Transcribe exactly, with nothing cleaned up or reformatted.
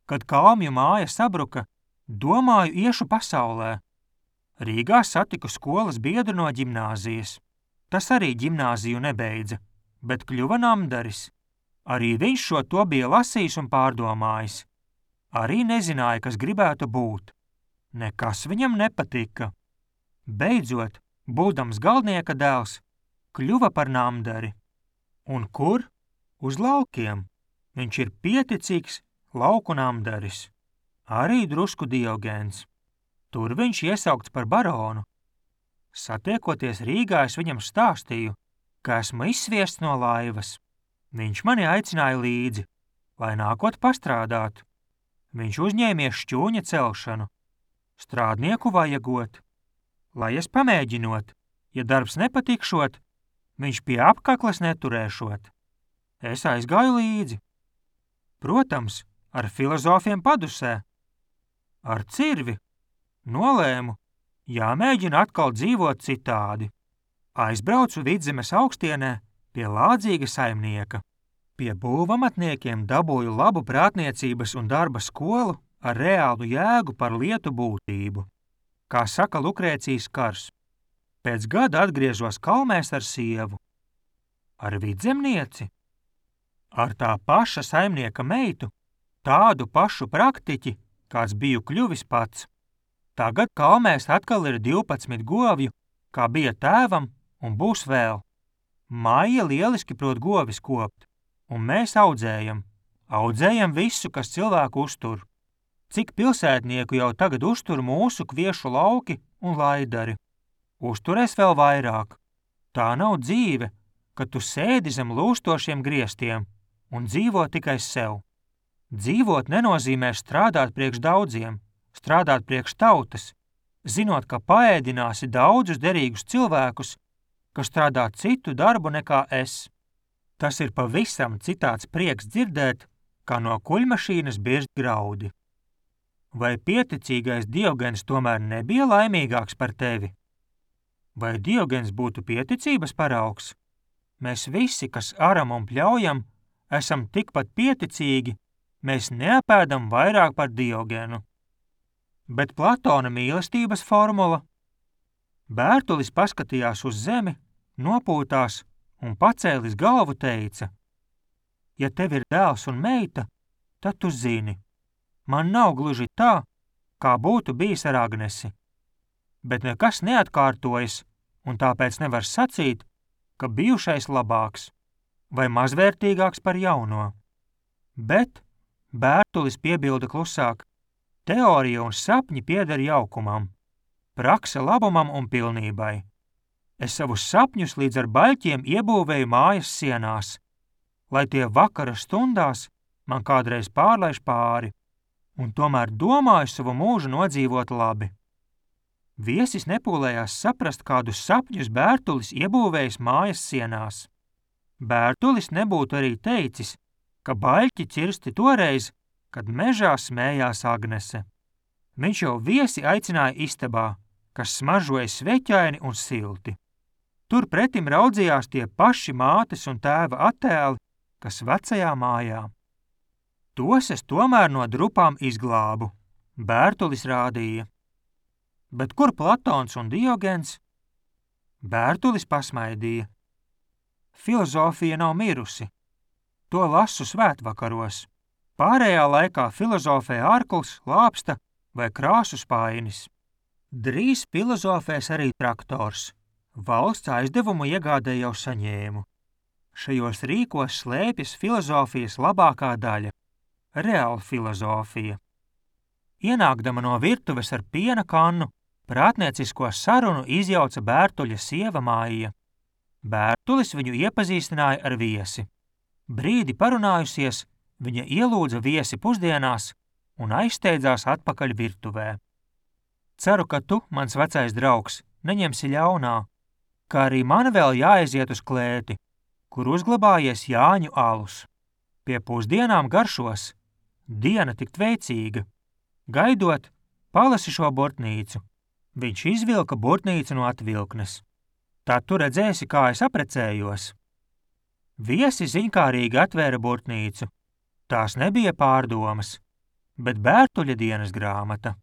Kad Kalmju māja sabruka, domāju iešu pasaulē. Rīgā satiku skolas biedru no ģimnāzijas. Tas arī ģimnāziju nebeidza, bet kļuva namdaris. Arī viņš šo to bija lasījis un pārdomājis. Arī nezināja, kas gribētu būt. Nekas viņam nepatika. Beidzot, būdams galdnieka dēls, kļuva par namdari. Un kur? Uz laukiem. Viņš ir pieticīgs lauku namdaris. Arī drusku Diogēns. Tur viņš iesaukts par baronu. Satiekoties Rīgā, es viņam stāstīju, ka esmu izsviests no laivas. Viņš mani aicināja līdzi, lai nākot pastrādāt. Viņš uzņēmies šķūņa celšanu. Strādnieku vajagot. Lai es pamēģinot, ja darbs nepatikšot, viņš pie apkakles neturēšot. Es aizgāju līdzi. Protams, ar filozofiem padusē. Ar cirvi. Nolēmu, jāmēģina atkal dzīvot citādi. Aizbraucu Vidzemes augstienē pie lādzīga saimnieka. Pie būvamatniekiem dabūju labu prātniecības un darba skolu ar reālu jēgu par lietu būtību. Kā saka Lukrēcijas Kars. Pēc gada atgriezos Kalmēs ar sievu. Ar vidzemnieci? Ar tā paša saimnieka meitu, tādu pašu praktiķi, kāds biju kļuvis pats. Tagad Kalmēs atkal ir divpadsmit govju, kā bija tēvam, un būs vēl. Maija lieliski prot govis kopt, un mēs audzējam. Audzējam visu, kas cilvēku uztur. Cik pilsētnieku jau tagad uztur mūsu kviešu lauki un laidari. Uzturēs vēl vairāk. Tā nav dzīve, kad tu sēdi zem lūstošiem griestiem un dzīvo tikai sev. Dzīvot nenozīmē strādāt priekš daudziem, strādāt priekš tautas, zinot, ka paēdināsi daudzus derīgus cilvēkus, kas strādā citu darbu nekā es. Tas ir pavisam citāds prieks dzirdēt, kā no kuļmašīnas birst graudi. Vai pieticīgais Diogēns tomēr nebija laimīgāks par tevi? Vai Diogēns būtu pieticības paraugs? Mēs visi, kas aram un pļaujam, esam tikpat pieticīgi, mēs neapēdam vairāk par Diogēnu. Bet Platona mīlestības formula? Bērtulis paskatījās uz zemi, nopūtās un pacēlis galvu teica: ja tev ir dēls un meita, tad tu zini, man nav gluži tā, kā būtu bijis ar Agnesi. Bet nekas neatkārtojas, un tāpēc nevar sacīt, ka bijušais labāks vai mazvērtīgāks par jauno. Bet Bērtulis piebilda klusāk: teorija un sapņi pieder jaukumam, prakse labumam un pilnībai. Es savus sapņus līdz ar baļķiem iebūvēju mājas sienās, lai tie vakara stundās man kādreiz pārlaiž pāri, un tomēr domāju savu mūžu nodzīvot labi. Viesis nepūlējās saprast, kādus sapņus Bērtulis iebūvējis mājas sienās. Bērtulis nebūtu arī teicis, ka baļķi cirsti toreiz, kad mežā smējās Agnese. Viņš jau viesi aicināja istabā, kas smaržoja sveķaini un silti. Tur pretim raudzījās tie paši mātes un tēva attēli, kas vecajā mājā. Tos es tomēr no drupām izglābu, Bērtulis rādīja. Bet kur Platons un Diogēns? Bērtulis pasmaidīja. Filozofija nav mirusi. To lasu svētvakaros. Pārējā laikā filozofē ārkls, lāpsta vai krāsu spainis. Drīz filozofēs arī traktors. Valsts aizdevumu iegādē jau saņēmu. Šajos rīkos slēpjas filozofijas labākā daļa – reāla filozofija. Ienākdama no virtuves ar piena kannu, prātniecisko sarunu izjauca Bērtuļa sieva Maija. Bērtulis viņu iepazīstināja ar viesi. Brīdi parunājusies, viņa ielūdza viesi pusdienās un aizsteidzās atpakaļ virtuvē. Ceru, ka tu, mans vecais draugs, neņemsi ļaunā, kā arī man vēl jāaiziet uz klēti, kur uzglabājies Jāņu alus. Pie pusdienām garšos, diena tik veicīga. Gaidot, palasi šo burtnīcu. Viņš izvilka burtnīcu no atvilknes. Tad tu redzēsi, kā es aprecējos. Viesi ziņkārīgi atvēra burtnīcu. Tās nebija pārdomas. bet Bērtuļa dienas grāmata